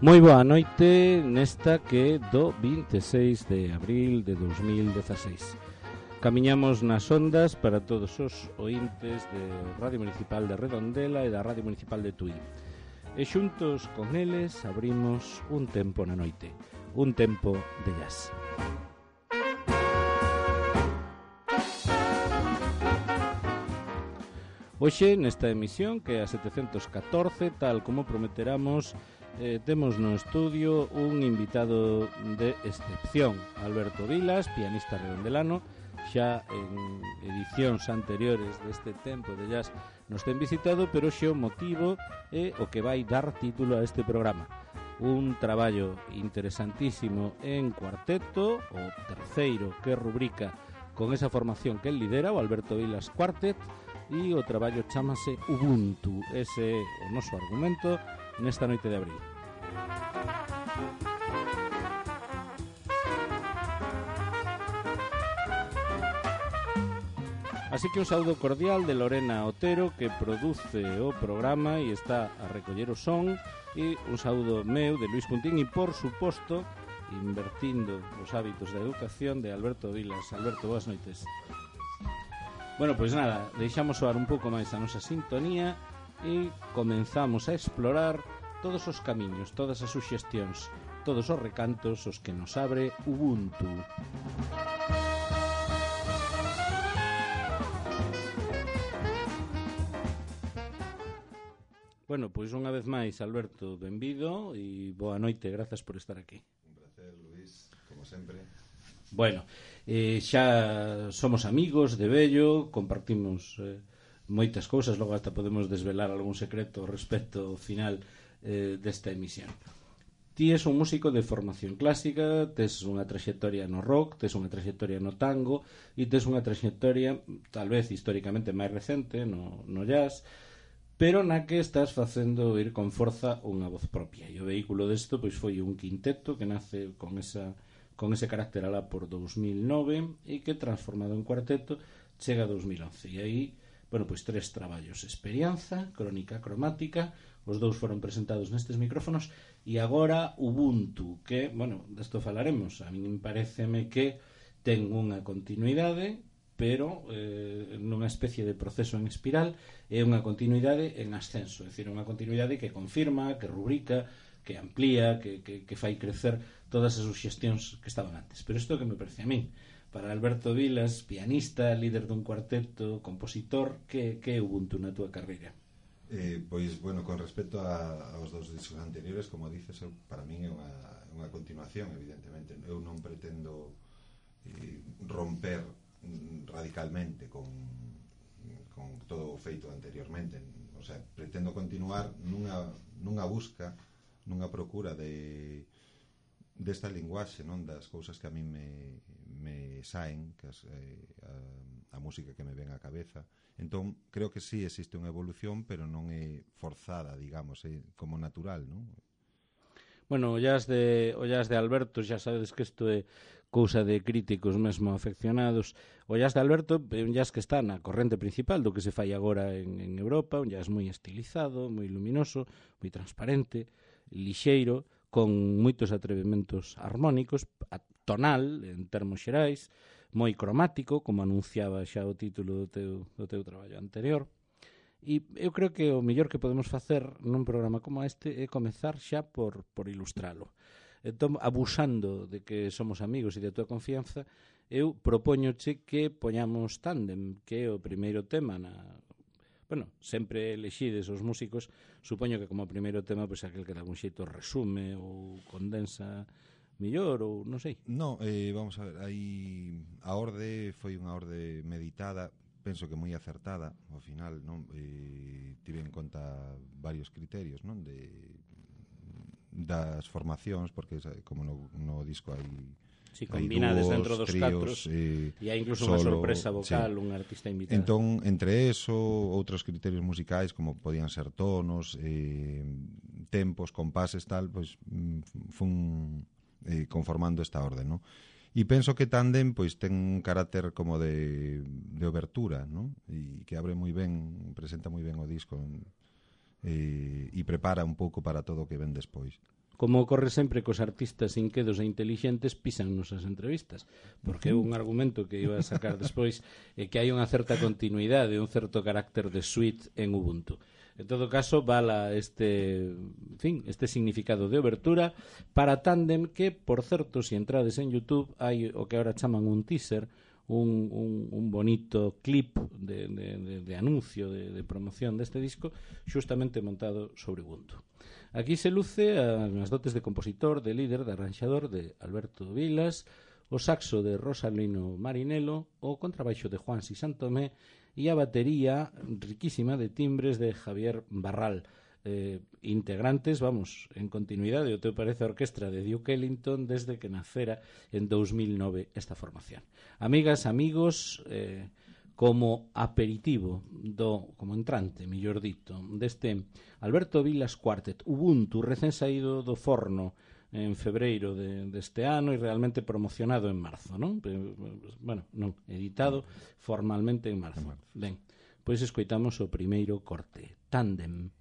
Moi boa noite nesta que do 26 de abril de 2016. Camiñamos nas ondas para todos os ointes de Radio Municipal de Redondela e da Radio Municipal de Tui. E xuntos con eles abrimos un tempo na noite, un tempo de jazz. Hoxe, nesta emisión, que é a 714, tal como prometeramos, temos no estudio un invitado de excepción, Alberto Vilas, pianista redondelano. Xa en edicións anteriores deste tempo de jazz nos ten visitado, pero xe o motivo é o que vai dar título a este programa. Un traballo interesantísimo en cuarteto, o terceiro que rubrica con esa formación que el lidera, o Alberto Vilas Quartet, e o traballo chamase Ubuntu. Ese é o noso argumento nesta noite de abril. Así que un saúdo cordial de Lorena Otero, que produce o programa e está a recoller o son, e un saúdo meu de Luis Cuntín e, por suposto, invertindo os hábitos da educación, de Alberto Vilas. Alberto, boas noites. Bueno, pois nada, deixamos soar un pouco máis a nosa sintonía e comenzamos a explorar todos os camiños, todas as suxestións, todos os recantos os que nos abre Ubuntu. Bueno, pois unha vez máis, Alberto, benvido e boa noite, grazas por estar aquí. Un placer, Luis, como sempre. Bueno, xa somos amigos de vello, compartimos moitas cousas, logo hasta podemos desvelar algún secreto respecto ao final desta emisión. Ti és un músico de formación clásica, tes unha traxectoria no rock, tes unha traxectoria no tango e tes unha traxectoria, tal vez históricamente máis recente, no jazz, pero na que estás facendo ir con forza unha voz propia. E o vehículo desto pois foi un quinteto que nace con ese carácter alá por 2009 e que transformado en cuarteto chega a 2011. E aí, bueno, pois 3 traballos: Experianza, Crónica Cromática, os 2 foron presentados nestes micrófonos, e agora Ubuntu, que, bueno, desto falaremos. A min paréceme que ten unha continuidade, pero nunha especie de proceso en espiral, é unha continuidade en ascenso, é dicir, unha continuidade que confirma, que rubrica, que amplía, que fai crecer todas as suxestións que estaban antes. Pero isto que me parece a min, para Alberto Vilas, pianista, líder dun cuarteto, compositor, que é Ubuntu na túa carreira? Pois, bueno, con respecto aos dos discos anteriores, como dices, para min é unha continuación, evidentemente. Eu non pretendo romper radicalmente con todo o feito anteriormente, o sea, pretendo continuar nunha busca, nunha procura desta linguaxe, non, das cousas que a mí me saen, que a música que me ven á cabeza. Entón, creo que sí existe unha evolución, pero non é forzada, digamos, é como natural, non? Bueno, o jazz de Alberto, xa sabedes que isto é cousa de críticos mesmo afeccionados. O jazz de Alberto é un jazz que está na corrente principal do que se fai agora en Europa, un jazz moi estilizado, moi luminoso, moi transparente, lixeiro, con moitos atrevementos armónicos, tonal, en termos xerais, moi cromático, como anunciaba xa o título do teu traballo anterior. E eu creo que o mellor que podemos facer nun programa como este é comezar xa por ilustralo. Entón, abusando de que somos amigos e de tua confianza, eu propóñoche que poñamos Tándem, que é o primeiro tema Bueno, sempre elexides os músicos, supoño que como primeiro tema, pois aquel que de algún xeito resume ou condensa mellor, ou non sei. No, vamos a ver, aí a orde foi unha orde meditada, penso que moi acertada ao final, non? Tive en conta varios criterios, non? Das formacións, porque como no disco hai si combinades dúos, dentro dos tríos, catros e hai incluso unha sorpresa vocal, sí. Un artista invitado. Entón, entre eso, outros criterios musicais como podían ser tonos, tempos, compases, tal, pois fun conformando esta orde, non? E penso que Tándem pois ten un carácter como de obertura, non? E que abre moi ben, presenta moi ben o disco, e prepara un pouco para todo o que ven despois. como ocorre sempre cos artistas inquedos e intelixentes, pisan nosas entrevistas, porque é un argumento que iba a sacar despois, que hai unha certa continuidade, un certo carácter de suite en Ubuntu. En todo caso, vala este significado de obertura para Tandem, que, por certo, se entrades en YouTube, hai o que agora chaman un teaser, un bonito clip de anuncio, de promoción deste disco, xustamente montado sobre Ubuntu. Aquí se luce as dotes de compositor, de líder, de arranxador de Alberto Vilas, o saxo de Rosalino Marinelo, o contrabaixo de Juan Si Santomé e a batería riquísima de timbres de Javier Barral, integrantes, vamos, en continuidade, o teu parece a orquestra de Duke Ellington desde que nacera en 2009 esta formación. Amigas, amigos, como aperitivo como entrante, mellor dito, deste Alberto Vilas Quartet Ubuntu, recén saído do forno en febreiro deste ano e realmente promocionado en marzo, non? Bueno, non, editado formalmente en marzo. Ben, pois escoitamos o primeiro corte, Tandem.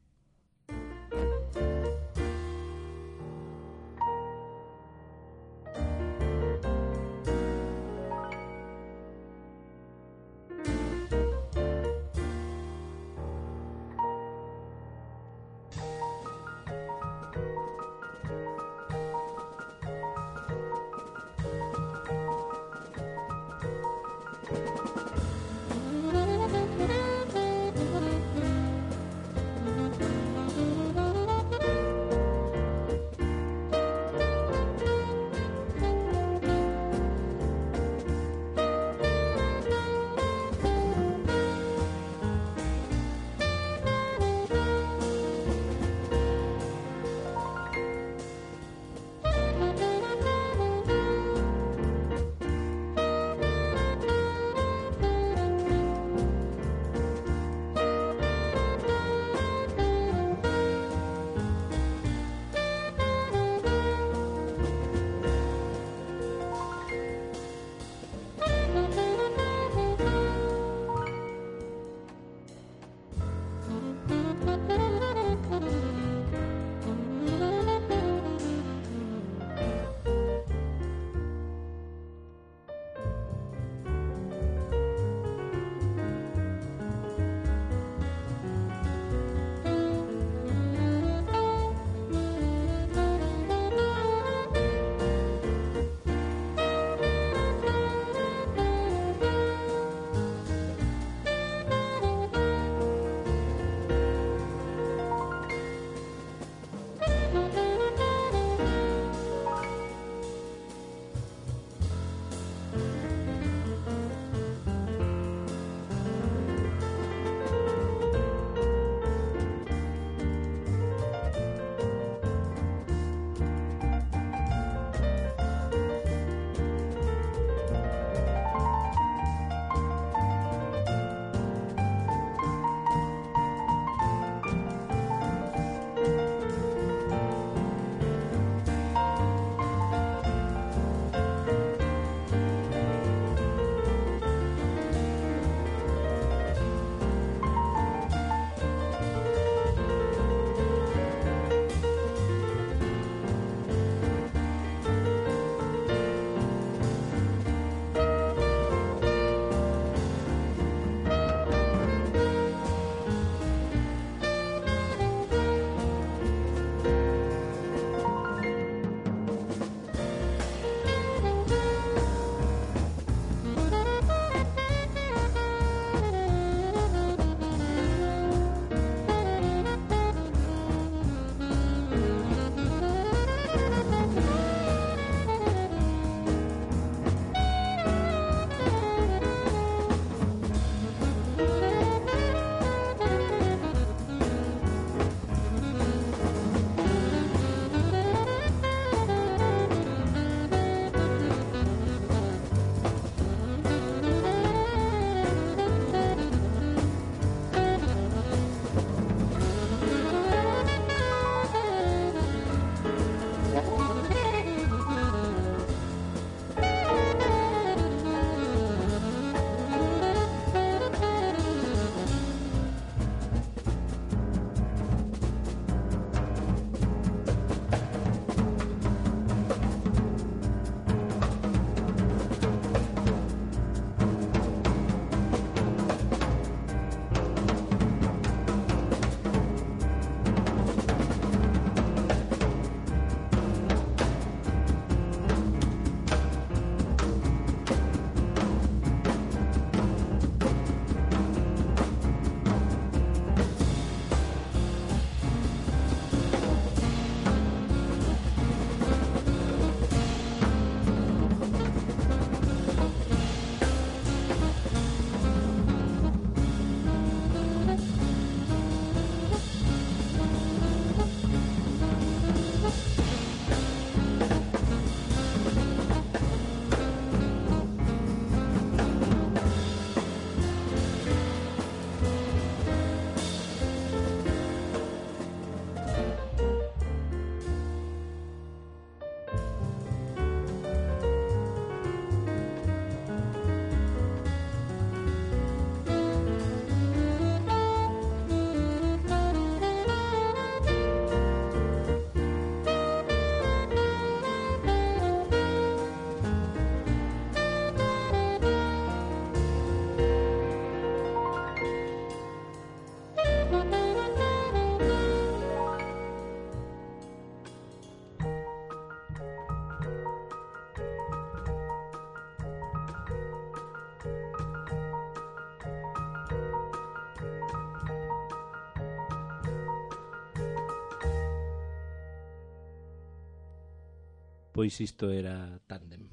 pois isto era Tándem.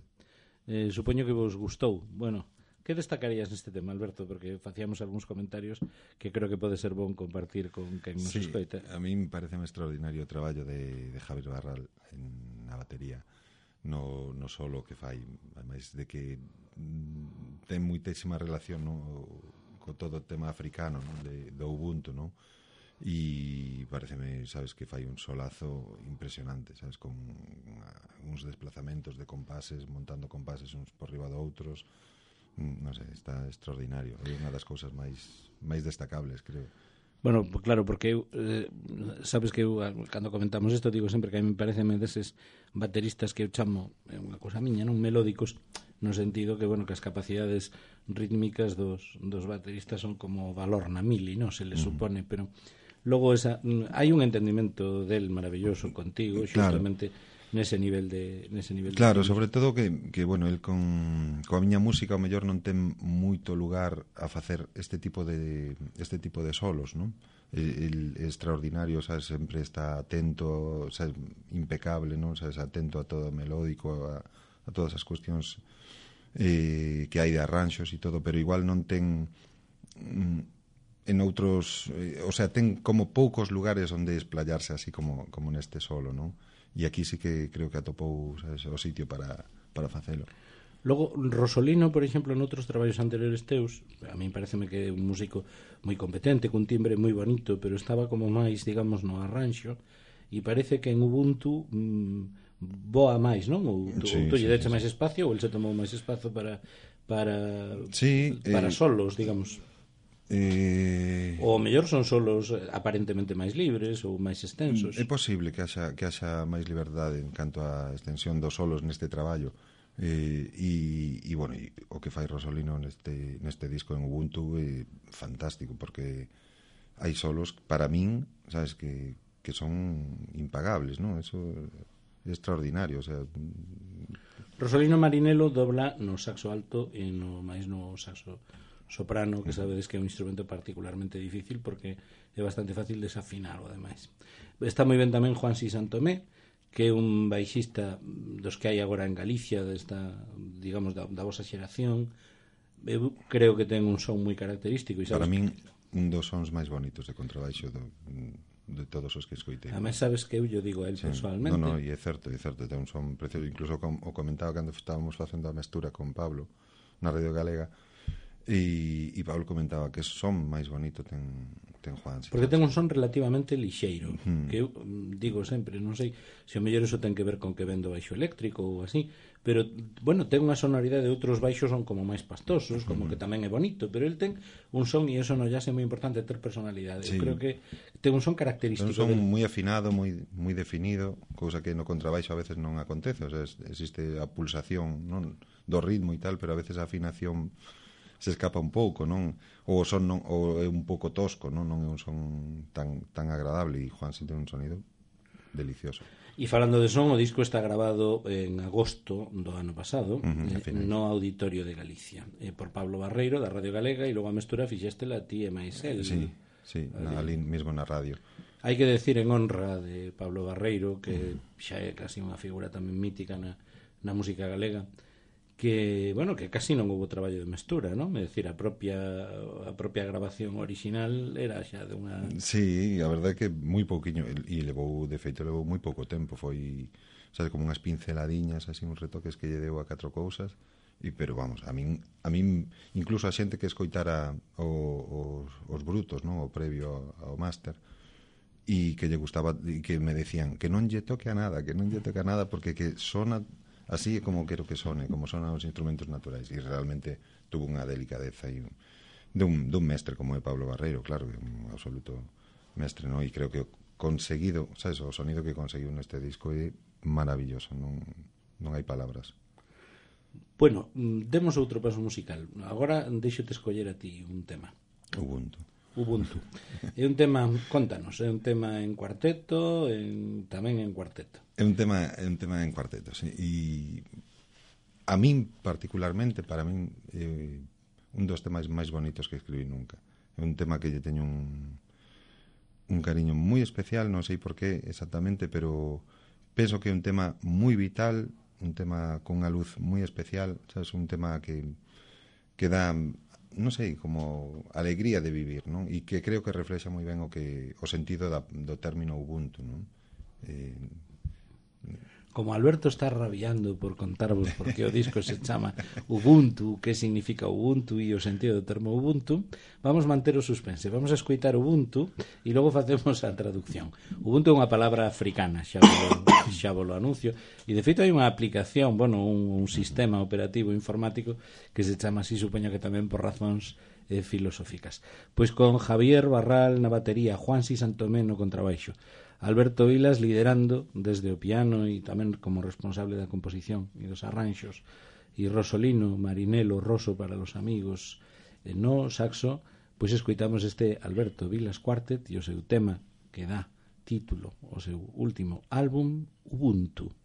Supoño que vos gustou. Bueno, que destacarías neste tema, Alberto? Porque facíamos algúns comentarios que creo que pode ser bon compartir con quen nos escoita. A mí me parece un extraordinario o traballo de Javier Barral na batería, no solo que fai, ademais de que ten moitísima relación, no, co todo o tema africano, no, do Ubuntu, no? E pareceme, sabes, que fai un solazo impresionante, sabes, con uns desplazamentos de compases, montando compases uns por riba de outros, non sei, está extraordinario. É unha das cousas máis destacables, creo. Bueno, claro, porque eu, sabes que eu, cando comentamos isto, digo sempre que a mí me parecen deses bateristas que eu chamo, é unha cousa miña, non, melódicos, no sentido que, bueno, que as capacidades rítmicas dos bateristas son como valor na mili, non se le supone, pero logo hai un entendimento del maravilloso contigo, xustamente nese nivel de claro, sobre todo que bueno, el coa miña música o mellor non ten moito lugar a facer este tipo de solos, non? El extraordinario, sabes, sempre está atento, sabes, impecable, non? Sabes, atento a todo o melódico, a todas as cuestións que hai de arranxos e todo, pero igual non ten en outros, o sea, ten como poucos lugares onde esplayarse así como neste solo, non? E aquí sí que creo que atopou, sabes, o sitio para facelo. Logo, Rosolino, por exemplo, noutros traballos anteriores teus, a mí pareceme que é un músico moi competente, cun timbre moi bonito, pero estaba como máis, digamos, no arranxo, e parece que en Ubuntu voa máis, non? Ou lle deche máis espacio, ou el se tomou máis espazo para solos, digamos. Ou mellor son solos aparentemente máis libres ou máis extensos. É posible que haxa máis liberdade en canto á extensión dos solos neste traballo, e bueno, o que fai Rosolino neste disco en Ubuntu é fantástico, porque hai solos para min, sabes, que son impagables, non? Eso é extraordinario, o sea, Rosolino Marinelo dobla no saxo alto e no saxo soprano, que sabedes que é un instrumento particularmente difícil porque é bastante fácil desafinarlo, ademais. Está moi ben tamén Juansi Santomé, que é un baixista dos que hai agora en Galicia, digamos, da vosa xeración. Eu creo que ten un son moi característico. Para min, un dos sons máis bonitos de contrabaixo de todos os que escoitei. Ademais, sabes que eu digo a él personalmente. Non, e é certo, ten un son precioso. Incluso o comentaba cando estábamos facendo a mestura con Pablo na Radio Galega, e Pablo comentaba que son máis bonito ten Juan. Porque ten un son relativamente lixeiro, que eu digo sempre, non sei se o mellor eso ten que ver con que vendo baixo eléctrico ou así, pero, bueno, ten unha sonoridade de outros baixos son como máis pastosos, como que tamén é bonito, pero el ten un son, e eso no jazz é moi importante ter personalidade. Eu creo que ten un son característico. Ten un son moi afinado, moi definido, cousa que no contrabaixo a veces non acontece, o sea, existe a pulsación, non, do ritmo e tal, pero a veces a afinación se escapa un pouco, non? Ou o son ou é un pouco tosco, non é un son tan agradable, e Juan ten un sonido delicioso. E falando de son, o disco está grabado en agosto do ano pasado, no Auditorio de Galicia, por Pablo Barreiro da Radio Galega, e logo a mestura fixéstela a ti e máis el. Sí, ali mesmo na radio. Hai que decir en honra de Pablo Barreiro, que xa é casi unha figura tamén mítica na música galega, que, bueno, que casi non houve traballo de mestura, non? É dicir, a propia grabación original era xa de unha... Sí, a verdade é que moi pouquiño, e levou moi pouco tempo, foi, sabes, como unhas pinceladiñas, así, uns retoques que lle deu a 4 cousas, pero vamos, a min incluso a xente que escoitara os brutos, non? O previo ao máster, e que lle gustaba, e que me decían que non lle toque a nada, porque que sona así é como quero que sone, como sonan os instrumentos naturais, e realmente tuvo unha delicadeza dun mestre como é Pablo Barreiro, claro, que é un absoluto mestre, non? E creo que o conseguido, sabes, o sonido que conseguiu neste disco é maravilloso, non hai palabras. Bueno, demos outro paso musical. Agora deixo-te escoller a ti un tema. Ubuntu. É un tema, contanos, é un tema en cuarteto, tamén en cuarteto. É un tema en cuarteto, sí. E a min particularmente, para min un dos temas máis bonitos que escribí nunca. É un tema que lle teño un cariño moi especial, non sei por qué exactamente, pero penso que é un tema moi vital, un tema con unha luz moi especial, sabes, un tema que dá, non sei, como alegría de vivir, non? E que creo que reflexa moi ben o sentido do término Ubuntu, non? Como Alberto está rabiando por contarvos por que o disco se chama Ubuntu, que significa Ubuntu e o sentido do termo Ubuntu, vamos manter o suspense, vamos a escoitar Ubuntu e logo facemos a traducción. Ubuntu é unha palabra africana, xa vos lo anuncio, e de feito hai unha aplicación, bueno, un sistema operativo informático que se chama así, supoño que tamén por razóns filosóficas. Pois con Javier Barral na batería, Juansi Santomé no contrabaixo, Alberto Vilas liderando desde o piano e tamén como responsable da composición e dos arranxos, e Rosolino Marinelo Rosso para los amigos no saxo. Pois escoitamos este Alberto Vilas Quartet e o seu tema que dá título ao seu último álbum, Ubuntu.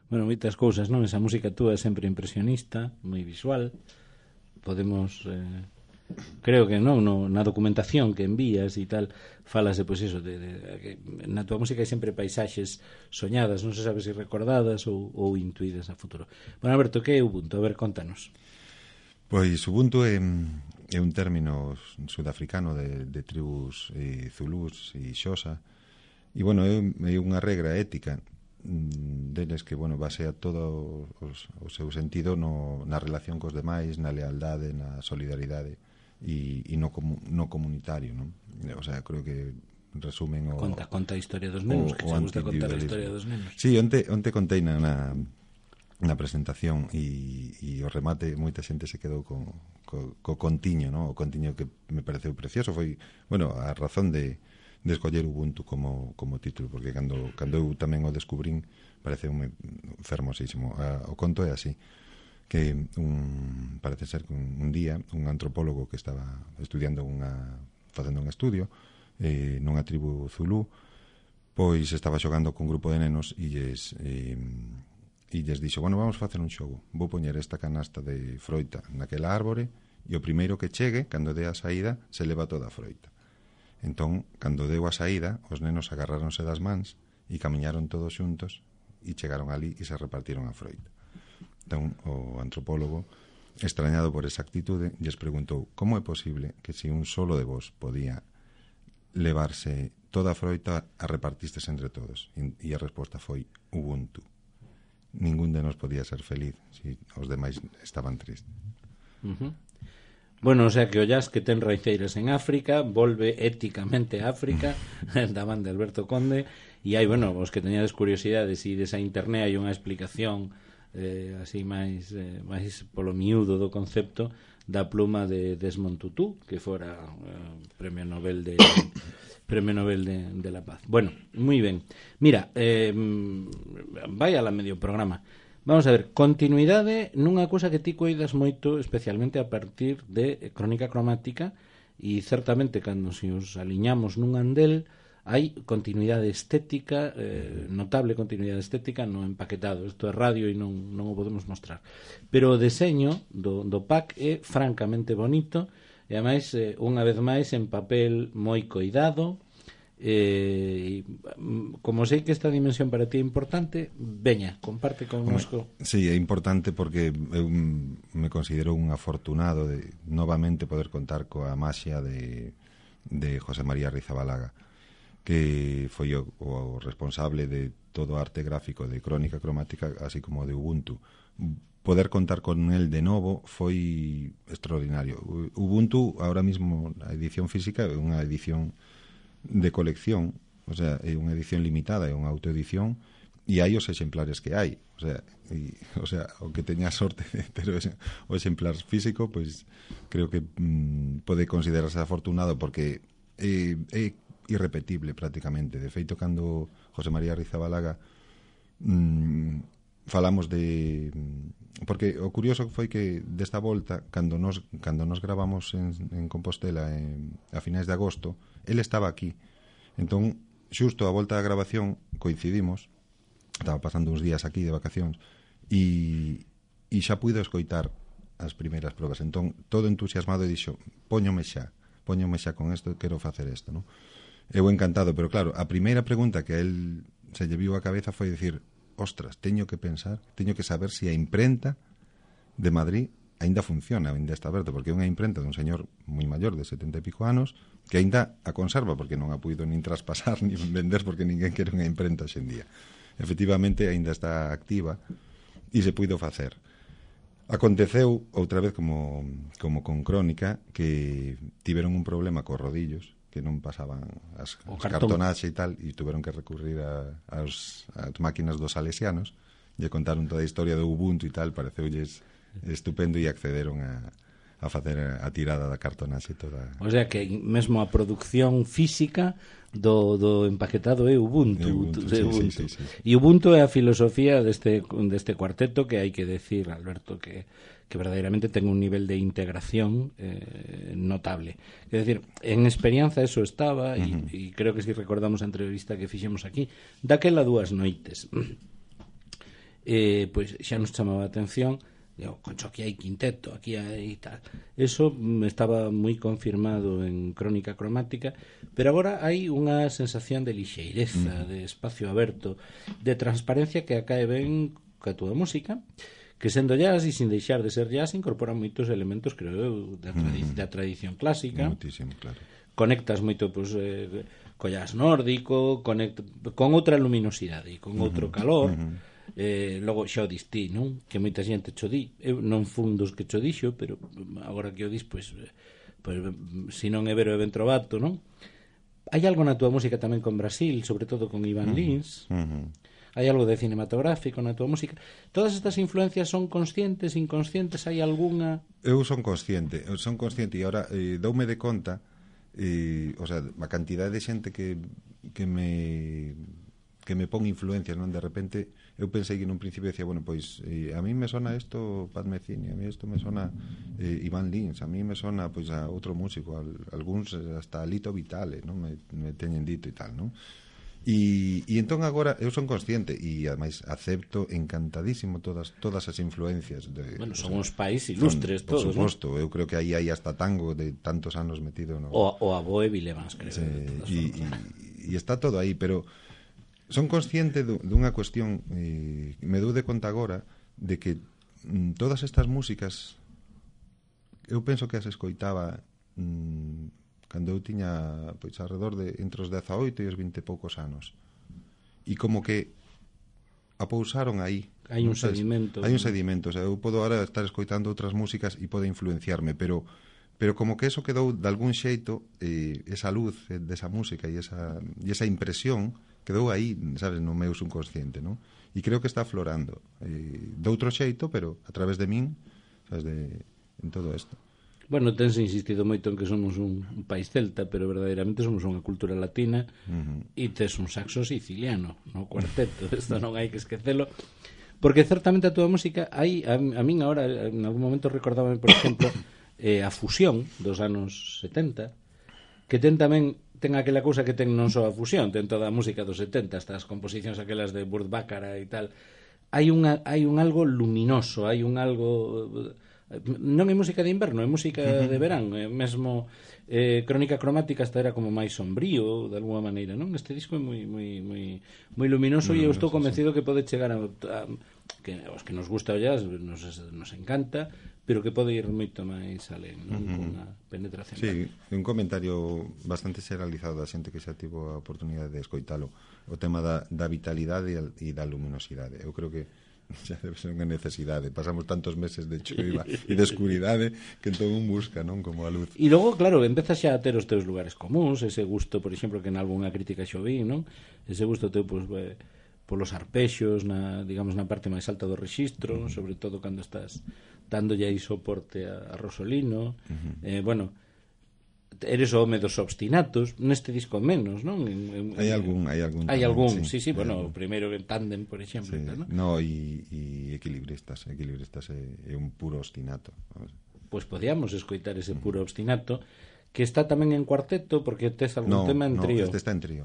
bueno, moitas cousas, non? Esa música túa é sempre impresionista, moi visual. Podemos creo que non, no, na documentación que envías e tal, falas de, pois iso, que na túa música hai sempre paisaxes soñadas, non se sabe se recordadas ou intuídas a futuro. Bueno, Alberto, que é Ubuntu? A ver, contanos. Pois Ubuntu é un término sudafricano de tribus zulús e xosa, e, bueno, é unha regra ética deles que, bueno, basea todo o seu sentido na relación cos demais, na lealdade, na solidaridade e no comunitario, non? O sea, creo que resumen o... Conta a historia dos nenos, que se gusta contar a historia dos nenos. Sí, onte contei na presentación e o remate moita xente se quedou co contiño, non? O contiño que me pareceu precioso foi, bueno, a razón de escoller Ubuntu como título, porque cando eu tamén o descubrín pareceume fermosísimo. O conto é así, que parece ser que un día un antropólogo que estaba estudiando facendo un estudio nunha tribu zulú, pois estaba xogando con un grupo de nenos e lles dixo, bueno, vamos facer un xogo, vou poñer esta canasta de froita naquela árbore e o primeiro que chegue, cando dé a saída, se leva toda a froita. Entón, cando deu a saída, os nenos agarráronse das mans e camiñaron todos xuntos e chegaron ali e se repartiron a froita. Entón, o antropólogo, extrañado por esa actitude, lles preguntou como é posible que se un solo de vos podía levarse toda a froita a repartistes entre todos. E a resposta foi Ubuntu. Ningún de nos podía ser feliz se os demais estaban tristes. Bueno, o sea que o jazz que ten raiceiras en África volve éticamente a África da man de Alberto Conde, e hai, bueno, os que teñades curiosidades e desa internet hai unha explicación así máis polo miúdo do concepto da pluma de Desmond Tutu, que fora Premio Nobel de la Paz. Bueno, moi ben. Mira, vai a la medio programa. Vamos a ver, continuidade nunha cousa que ti coidas moito, especialmente a partir de Crónica Cromática, e certamente cando se os aliñamos nun andel hai continuidade estética, notable continuidade estética no empaquetado. Isto é radio e non o podemos mostrar. Pero o deseño do pack é francamente bonito e, ademais, unha vez máis en papel moi coidado. Como sei que esta dimensión para ti é importante, veña, comparte connosco. Sí, é importante porque eu me considero un afortunado de novamente poder contar coa maxia de José María Rizabalaga, que foi o responsable de todo o arte gráfico de Crónica Cromática, así como de Ubuntu. Poder contar con él de novo foi extraordinario. Ubuntu, ahora mismo, a edición física é unha edición de colección, o sea, é unha edición limitada, é unha autoedición, e hai os exemplares que hai, o sea, o que teña sorte de ter o exemplar físico, pois creo que pode considerarse afortunado, porque é irrepetible prácticamente. De feito, cando José María Rizabalaga falamos de... Porque o curioso foi que desta volta, cando nos gravamos en Compostela a finais de agosto, ele estaba aquí. Entón, xusto a volta da grabación coincidimos, estaba pasando uns días aquí de vacacións, e xa puido escoitar as primeiras probas. Entón, todo entusiasmado, e dixo, póñome xa con isto, quero facer isto, non? Eu encantado, pero claro, a primeira pregunta que a él se lle viu a cabeza foi dicir, ostras, teño que pensar, teño que saber se a imprenta de Madrid aínda funciona, aínda está aberto, porque é unha imprenta dun señor moi maior de 70 e pico anos que aínda a conserva, porque non a puido nin traspasar nin vender, porque ninguén quere unha imprenta hoxendía. Efectivamente, aínda está activa e se puido facer. Aconteceu outra vez como con Crónica, que tiveron un problema cos rodillos, que non pasaban as cartonaxe e tal, e tuveron que recurrir ás máquinas dos salesianos, e contaron toda a historia do Ubuntu e tal, pareceulles estupendo, e accederon a facer a tirada da cartonaxe toda. O sea que mesmo a producción física do empaquetado é Ubuntu. Sí. E Ubuntu é a filosofía deste cuarteto, que hai que decir, Alberto, que verdadeiramente ten un nivel de integración notable. É dicir, en experiencia eso estaba, e creo que si recordamos a entrevista que fixemos aquí, daquela 2 noites. pois xa nos chamaba a atención, digo, concho, aquí hai quinteto, aquí hai tal. Eso estaba moi confirmado en Crónica Cromática, pero agora hai unha sensación de lixeireza, de espacio aberto, de transparencia que acae ben ca túa música, que sendo jazz e sin deixar de ser jazz incorpora moitos elementos, creo eu, da tradición clásica. Muitísimo, claro. Conectas moito, pois, co jazz nórdico, con outra luminosidade e con outro calor. Logo xa o dis ti, non? Que moita xente cho di. Eu non fun dos que cho dixo, pero agora que o dis, pois se non é Vero e Ventrovato, non? Hai algo na túa música tamén con Brasil, sobre todo con Iván Lins. Hai algo de cinematográfico na túa música. Todas estas influencias son conscientes, inconscientes? Hai algunha? Eu son consciente e agora doume de conta, o sea, a cantidad de xente que me pon influencias, non? De repente eu pensei que nun principio decía, bueno, pois a mí me sona isto Pat Metheny, a mí isto me sona Iván Lins, a mí me sona pois a outro músico, algúns hasta Lito Vitale, non? Me teñen dito e tal, non? E entón agora eu son consciente e ademais acepto encantadísimo todas as influencias bueno, son uns pais ilustres todos, por suposto, ¿no? Eu creo que aí hai hasta tango de tantos anos metido, ¿no? O a Boe Villemans, creo. E está todo aí, pero son consciente dunha cuestión, me dou de conta agora de que todas estas músicas eu penso que as escoitaba cando eu tiña pois alrededor de entre os 18 e os 20 e poucos anos, e como que apousaron aí. Hai un sedimento. Hai un sedimento, o sea, eu podo agora estar escoitando outras músicas e pode influenciarme, pero como que eso quedou de algún xeito, esa luz desa música e esa impresión quedou aí, sabes, no meu subconsciente, non? E creo que está aflorando de outro xeito, pero a través de min, sabes, en todo isto. Bueno, tense insistido moito en que somos un país celta, pero verdadeiramente somos unha cultura latina e tes un saxo siciliano no cuarteto, isto non hai que esquecelo, porque certamente a túa música hai, a min agora en algún momento recordábame, por exemplo, a fusión dos anos 70, que ten aquela cousa que ten non só a fusión, ten toda a música dos 70, estas composicións aquelas de Burt Bacharach e tal. Hai un algo luminoso, hai un algo, non é música de inverno, é música de verán, mesmo Crónica Cromática hasta era como máis sombrío de alguma maneira, non? Este disco é moi luminoso e eu estou convencido que pode chegar a que os que nos gusta o jazz nos encanta, pero que pode ir moito máis alén, non? Con a penetración. Sí, un comentario bastante generalizado da xente que xa tivo a oportunidade de escoitalo, o tema da vitalidade e da luminosidade. Eu creo que xa debe ser unha necesidade. Pasamos tantos meses de choiva e de escuridade que entón un busca, non? Como a luz. E logo, claro, empezas xa a ter os teus lugares comuns, ese gusto, por exemplo, que en algunha crítica xo vi, non? Ese gusto teu, pois, polos arpexos, digamos, na parte máis alta do rexistro, sobre todo cando estás dándolle aí soporte a Rosolino. Bueno, eres o home dos obstinatos, neste disco menos, non? Hai algún sí, bueno, o primeiro en Tándem, por exemplo, sí. ¿no? No, e Equilibristas é un puro obstinato. Pois podíamos escoitar ese puro obstinato, que está tamén en cuarteto, porque tes algún tema en trío. Este está en trío.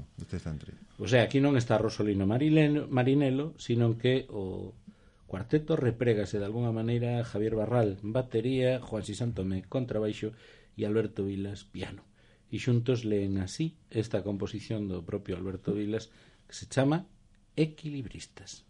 O sea, aquí non está Rosolino Marinelo, sino que o cuarteto reprégase de alguna maneira Javier Barral, batería, Juan Sisantome, contrabaixo, e Alberto Vilas, piano. E xuntos leen así esta composición do propio Alberto Vilas, que se chama Equilibristas.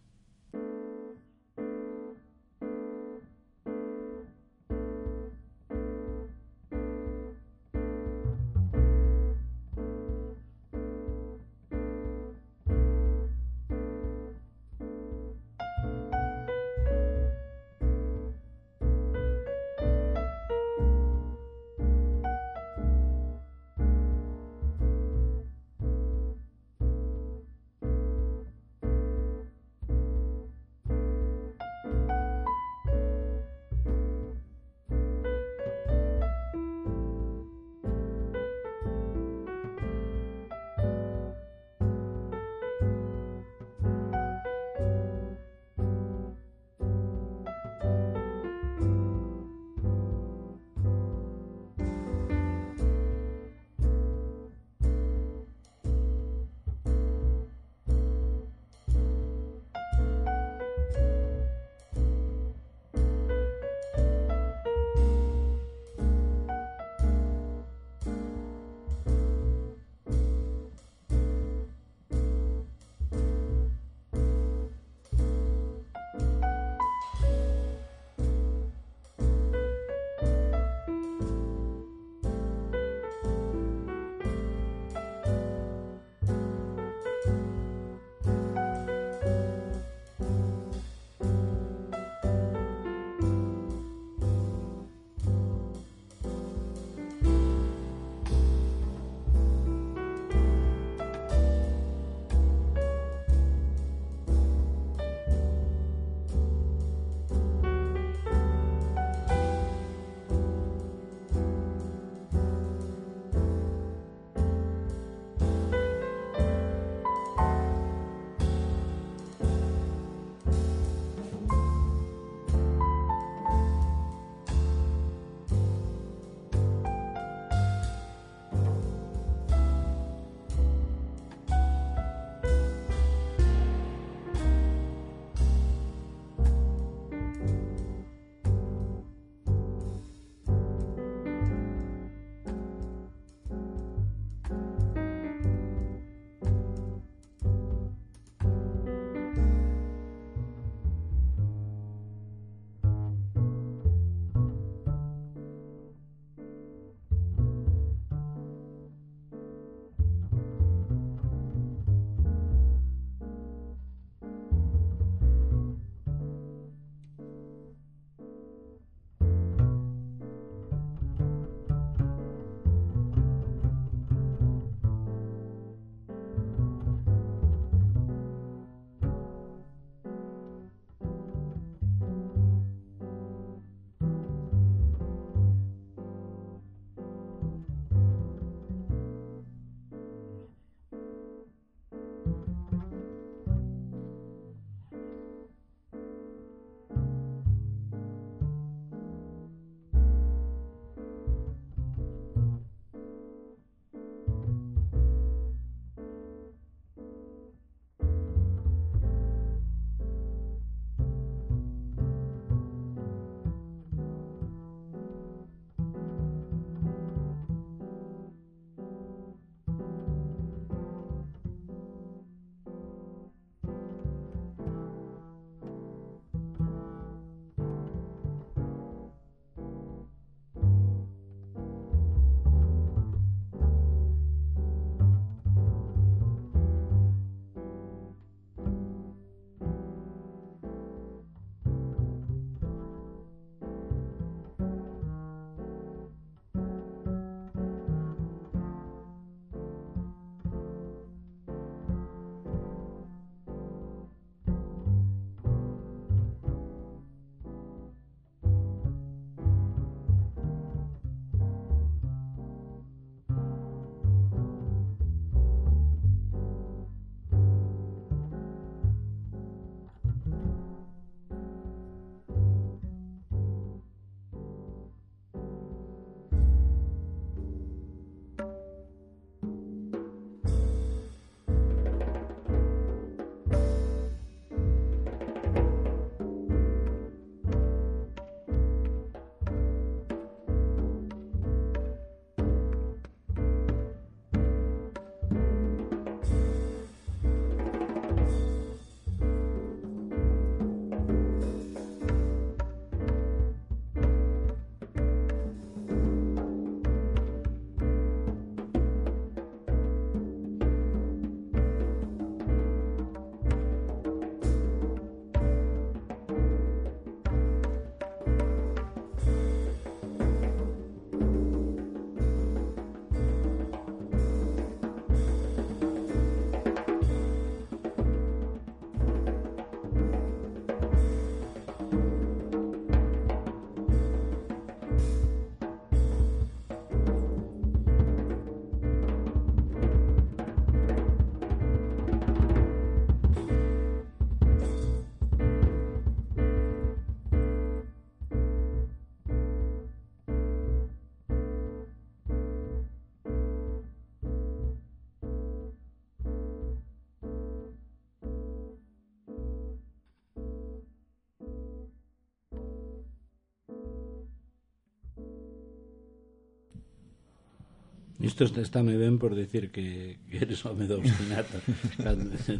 Isto está moi ben por decir que eres home do obstinato.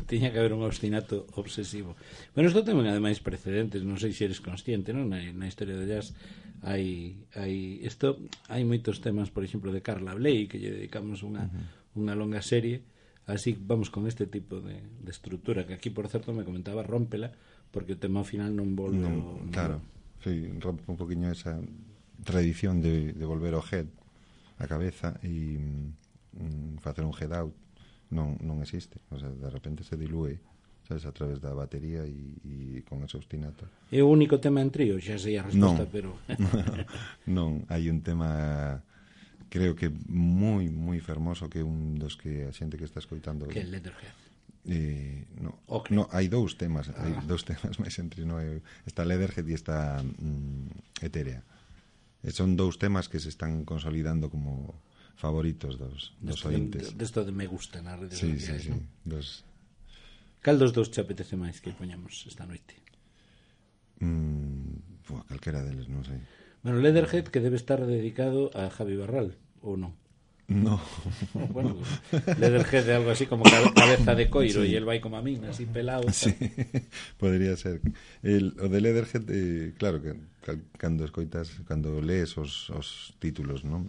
Tiña que haber un obstinato obsesivo. Bueno, isto tamén ademais precedentes, non sei se eres consciente, non? Na historia do jazz hai moitos temas, por exemplo, de Carla Bley, que lle dedicamos unha longa serie. Así vamos con este tipo de estrutura, que aquí, por certo, me comentaba rómpela, porque o tema ao final non volve... Claro, sí, rompe un poquinho esa tradición de volver ao head a cabeza e facer un head out non existe, o sea, de repente se dilúe, sabes, a través da batería e con ese ostinato. É o único tema en trío, xa sei a resposta, pero non, hai un tema creo que moi fermoso, que é un dos que a xente que está escoitando, que é Leatherhead. No, hai dous temas, hai dous temas máis entre, no, está Leatherhead e está Etérea. Son dous temas que se están consolidando como favoritos dos ointes. Desto de me gusta nas redes sociais. Sí. Cal dos dous te apetece máis que poñamos esta noite? Calquera deles, non sei. Bueno, Leatherhead, que debe estar dedicado a Javi Barral, ou non? No. Bueno, Leatherhead é algo así como cabeza de coiro, e el vai como a min, así pelado. Sí, podría ser. O de Leatherhead, claro, que cando lees os títulos, non?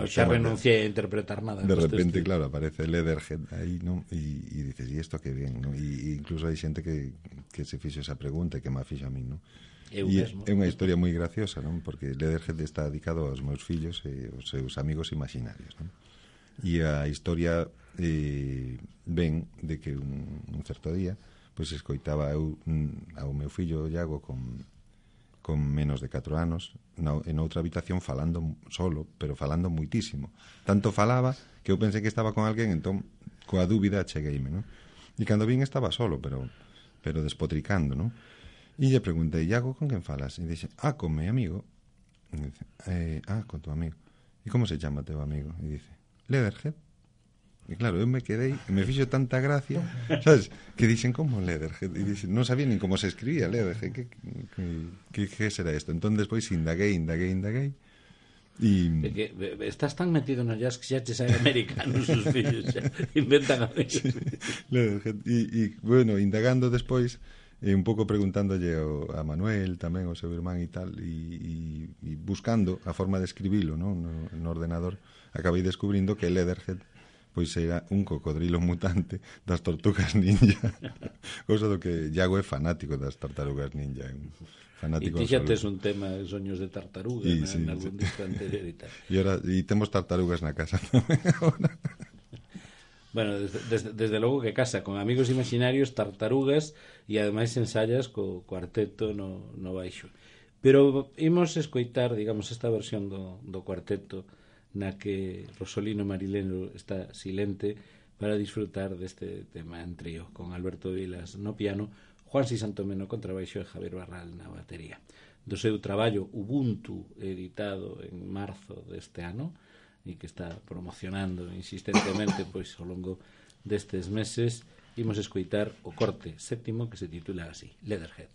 Xa renunciei a interpretar nada. De repente, claro, aparece Leatherhead aí, non? E dices, e isto que bien, non? E incluso hai xente que se fixo esa pregunta e que me fixo a mí, non? E é unha historia moi graciosa, non? Porque Leatherhead está dedicado aos meus fillos e aos seus amigos imaginarios, non? E a historia ven de que un certo día pois escoitaba eu ao meu fillo Iago con menos de 4 anos en outra habitación falando solo, pero falando muitísimo. Tanto falaba que eu pensei que estaba con alguén, entón coa dúbida chegueime, non? E cando vin estaba solo, pero despotricando, non? E lle preguntei, Iago, con quen falas? E dixe, con meu amigo. E dice, con tu amigo. E como se chama teu amigo? E dice, Leatherhead. E claro, eu me quedei, e me fixo tanta gracia, sabes, que dixen, como Leatherhead? E dixen, non sabía nin como se escribía Leatherhead, que será isto? Entón, despois indaguei, e que estás tan metido no jazz que xa te saen americanos os fillos, xa inventan amigos. Sí, Leatherhead. E, bueno, indagando despois, un pouco preguntándolle a Manuel tamén, o seu irmán e tal, e buscando a forma de escribilo, no ordenador, acabei descubrindo que Leatherhead pois era un cocodrilo mutante das Tortugas Ninja. Cousa do que Iago é fanático das Tartarugas Ninja, fanático. E ti xa tes un tema de soños de tartaruga en algún disco anterior e tal. E temos tartarugas na casa tamén agora. Bueno, desde logo que casa con amigos imaginarios, tartarugas, e ademais ensayas co cuarteto no baixo. Pero imos escoitar, digamos, esta versión do cuarteto na que Rosolino Marileno está silente para disfrutar deste tema en trío, con Alberto Vilas no piano, Juansi Santomé no contrabaixo e Javier Barral na batería. Do seu traballo Ubuntu, editado en marzo deste ano, e que está promocionando insistentemente pois ao longo destes meses, imos escoitar o corte séptimo que se titula así, Leatherhead.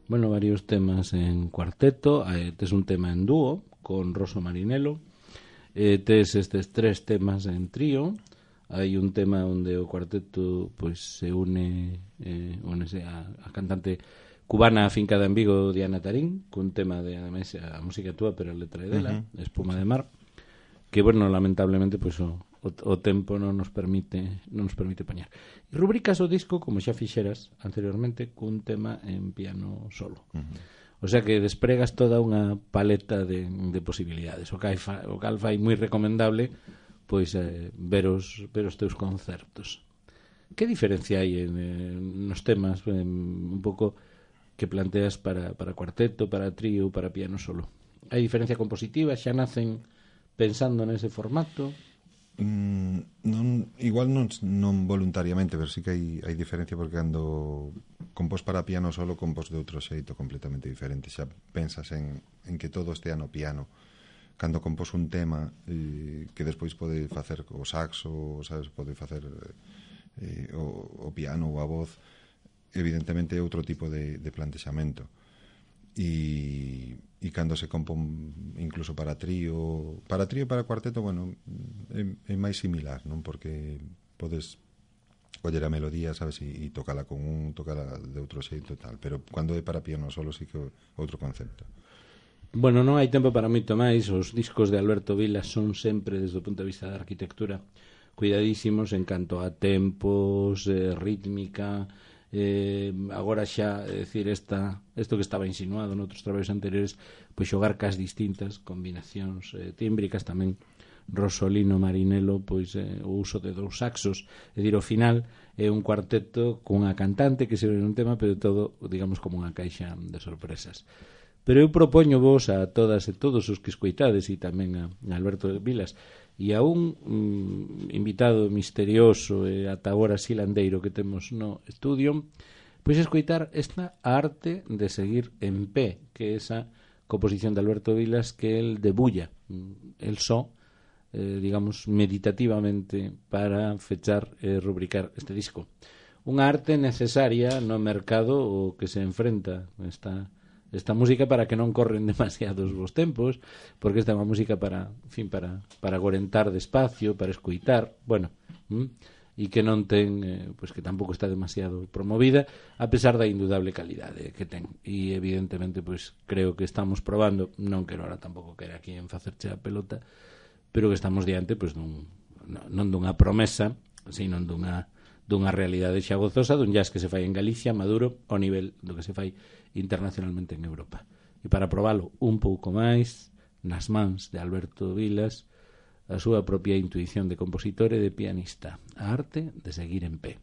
Bueno, varios temas en cuarteto, tes un tema en dúo con Rosso Marinello, tes estes 3 temas en trío, hai un tema onde o cuarteto pois se únese a cantante cubana afincada en Vigo, Diana Tarín, cun tema de ademais a música túa pero a letra é dela, Espuma de Mar, que bueno, lamentablemente pois o tempo non nos permite poñer. E rubricas o disco como xa fixeras anteriormente cun tema en piano solo. O sea que despregas toda unha paleta de posibilidades. O cal fai moi recomendable pois ver os teus concertos. Que diferencia hai nos temas un pouco que planteas para cuarteto, para trío, para piano solo? Hai diferencia compositiva? Xa nacen pensando nese formato? Igual non voluntariamente, pero sí que hai diferencia, porque cando compós para piano solo compós de outro xeito completamente diferente. Xa pensas en que todo estea no piano. Cando compós un tema que despois pode facer o saxo, sabes, pode facer o piano ou a voz, evidentemente é outro tipo de plantexamento. E cando se compón incluso para trío e para cuarteto, bueno, é máis similar, non? Porque podes coller a melodía, sabes, e tocala con tocala de outro xeito e tal, pero cando é para piano solo sí que outro concepto. Bueno, non hai tempo para moito máis. Os discos de Alberto Vilas son sempre, desde o punto de vista da arquitectura, cuidadísimos en canto a tempos, rítmica. Agora xa, decir, isto que estaba insinuado noutros traballos anteriores, pois xogar cas distintas combinacións tímbricas, tamén Rosolino Marinello, pois o uso de 2 saxos, é dicir, ao final é un cuarteto cunha cantante que se ve un tema, pero todo, digamos, como unha caixa de sorpresas. Pero eu propoño vos a todas e todos os que escoitades, e tamén a Alberto Vilas, e a un invitado misterioso e ata agora silandeiro que temos no estudio, pois escoitar esta arte de seguir en pé, que é esa composición de Alberto Vilas que el debulla, el só, digamos, meditativamente para fechar e rubricar este disco. Unha arte necesaria no mercado o que se enfrenta esta música, para que non corren demasiados vos tempos, porque esta é unha música para agorentar despacio, para escoitar, bueno, e que non ten, pois que tampouco está demasiado promovida, a pesar da indudable calidade que ten. E evidentemente, pois creo que estamos probando, non quero ahora tampouco quero aquí en facerche a pelota, pero que estamos diante, pois non dunha promesa, sino dunha realidade xa gozosa, dun jazz que se fai en Galicia, maduro, ao nivel do que se fai internacionalmente en Europa. E para probalo un pouco máis, nas mans de Alberto Vilas, a súa propia intuición de compositor e de pianista, a arte de seguir en pé.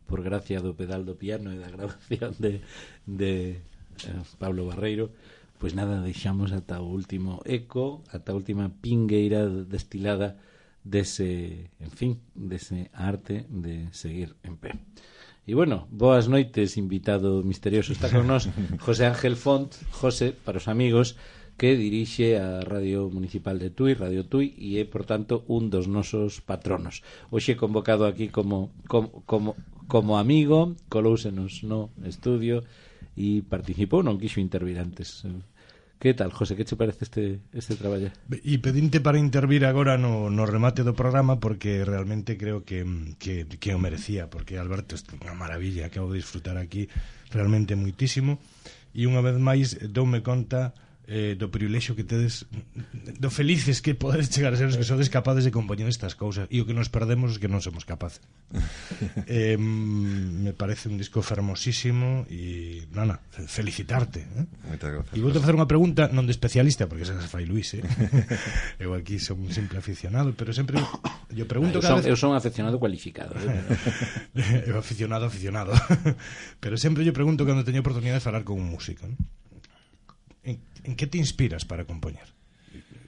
por gracia do pedal do piano e da grabación de Pablo Barreiro, pois nada, deixamos ata o último eco, ata a última pingueira destilada dese, en fin, dese arte de seguir en pé. E bueno, boas noites, invitado misterioso. Está con nós José Ángel Font, José, para os amigos, que dirixe a Radio Municipal de Tui, Radio Tui, e é, por tanto, un dos nosos patronos. Hoxe convocado aquí como amigo, colousenos no estudio e participou, non quixo intervir antes. Que tal, José, que che parece este traballo? E pedinte para intervir agora no remate do programa, porque realmente creo que o merecía, porque Alberto é unha maravilla, acabo de disfrutar aquí realmente muitísimo, e unha vez máis doume conta do privilexio que tedes, do felices que podedes chegar a ser os que sodes capaces de compoñer estas cousas, e o que nos perdemos es que non somos capaces. Me parece un disco fermosísimo e nana, felicitarte, Moitas gracias. E vou te facer unha pregunta non de especialista, porque esa se fai Luís, eu aquí son un simple aficionado, pero sempre eu pregunto eu son aficionado cualificado, eu aficionado pero sempre eu pregunto cando teño oportunidade de falar con un músico, ¿no? En que te inspiras para compoñer?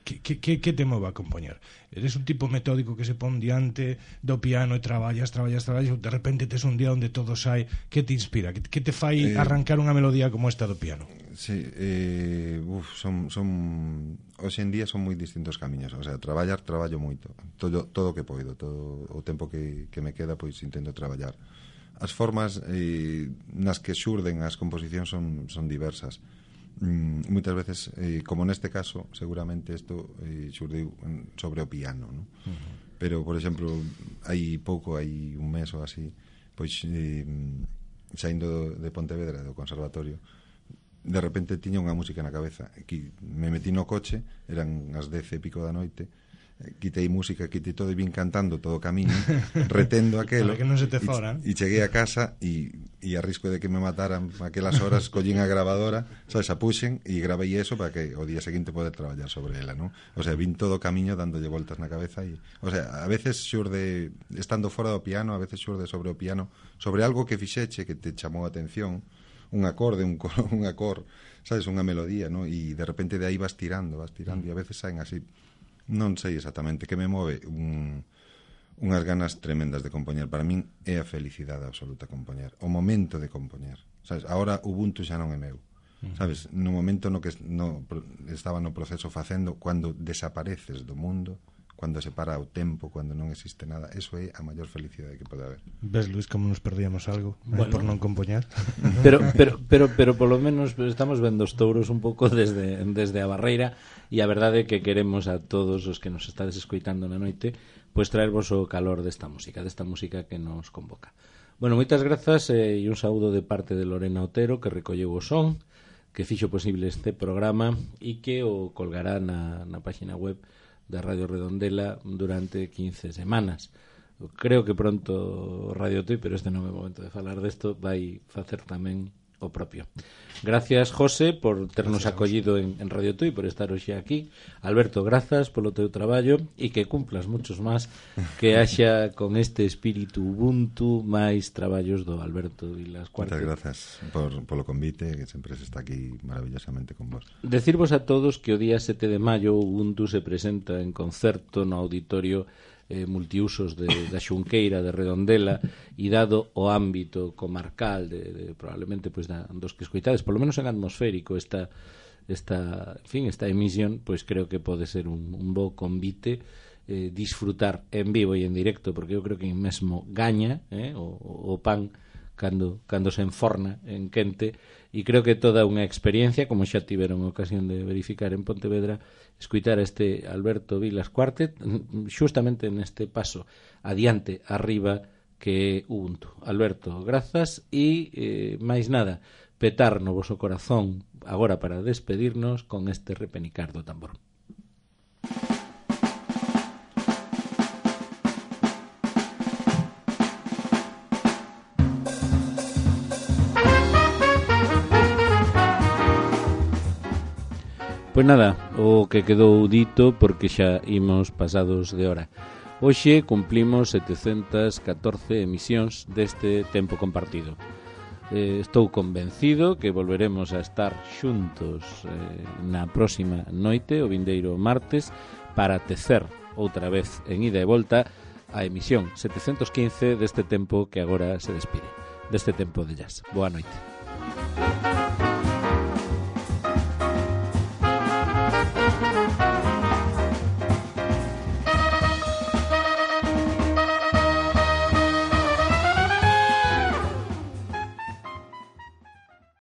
Que te move a compoñer? Eres un tipo metódico que se pon diante do piano e traballas, de repente tes un día onde todo sai. Que te inspira? Que te fai arrancar unha melodía como esta do piano? Sí, hoxe en día son moi distintos camiños. O sea, traballo moito, todo o que poido, todo o tempo que me queda, pois intento traballar. As formas nas que xurden as composicións son diversas. Moitas veces, como neste caso, seguramente isto xurdiu sobre o piano, ¿no? Pero, por exemplo, hai un mes ou así, pois saindo de Pontevedra, do conservatorio, de repente tiña unha música na cabeza, que me metí no coche, eran as 10 e pico da noite, quitei música, quitei todo e vin cantando todo o camiño, retendo aquelo, para que non se te fora, e cheguei a casa e a risco de que me mataran aquelas horas, collín a grabadora, sabes, a puxen e gravei eso para que o día seguinte poder traballar sobre ela, ¿no? O sea, vin todo o camiño dándolle voltas na cabeza e, o sea, a veces xurde estando fora do piano, a veces xurde sobre o piano, sobre algo que fixeche que te chamou a atención, un acorde, un acorde, sabes, unha melodía, ¿no? E de repente de aí vas tirando e a veces saen así. Non sei exactamente que me move unhas ganas tremendas de compoñer. Para min é a felicidade absoluta compoñer, o momento de compoñer, sabes? Ahora Ubuntu xa non é meu, sabes? No momento no que estaba no proceso facendo, cando desapareces do mundo, cando se para o tempo, cando non existe nada, eso é a maior felicidade que pode haber. Ves, Luís, como nos perdíamos algo por non compoñer? Pero polo menos estamos vendo os touros un pouco desde a barreira, e a verdade é que queremos a todos os que nos estades escoitando na noite pois traervos o calor desta música que nos convoca. Bueno, moitas grazas e un saúdo de parte de Lorena Otero, que recolleu o son, que fixo posible este programa e que o colgará na página web da Radio Redondela durante 15 semanas. Creo que pronto Radio Tui, pero este non é o momento de falar desto, vai facer tamén o propio. Gracias, José, por ternos acollido en Radio Tui, por estar hoxe aquí. Alberto, grazas polo teu traballo e que cumplas muchos máis, que haxa con este espírito Ubuntu máis traballos do Alberto Vilas Cuartet. Moitas grazas polo convite, que sempre se está aquí maravillosamente con vos. Decirvos a todos que o día 7 de maio Ubuntu se presenta en concerto no auditorio multiusos da Xunqueira de Redondela, e dado o ámbito comarcal de probablemente pois dos que escoitades, polo menos en atmosférico esta emisión, pois creo que pode ser un bo convite, disfrutar en vivo e en directo, porque eu creo que mesmo gaña o pan cando se enforna en quente, e creo que toda unha experiencia, como xa tiveron ocasión de verificar en Pontevedra, escuitar a este Alberto Vilas Cuartet xustamente neste paso adiante, arriba, que é Ubuntu. Alberto, grazas, e máis nada, petar no voso corazón agora para despedirnos con este repenicar do tambor. Pois nada, o que quedou dito, porque xa imos pasados de hora. Hoxe cumplimos 714 emisións deste tempo compartido. Estou convencido que volveremos a estar xuntos na próxima noite, o vindeiro martes, para tecer outra vez en ida e volta a emisión 715 deste tempo que agora se despide, deste tempo de jazz. Boa noite.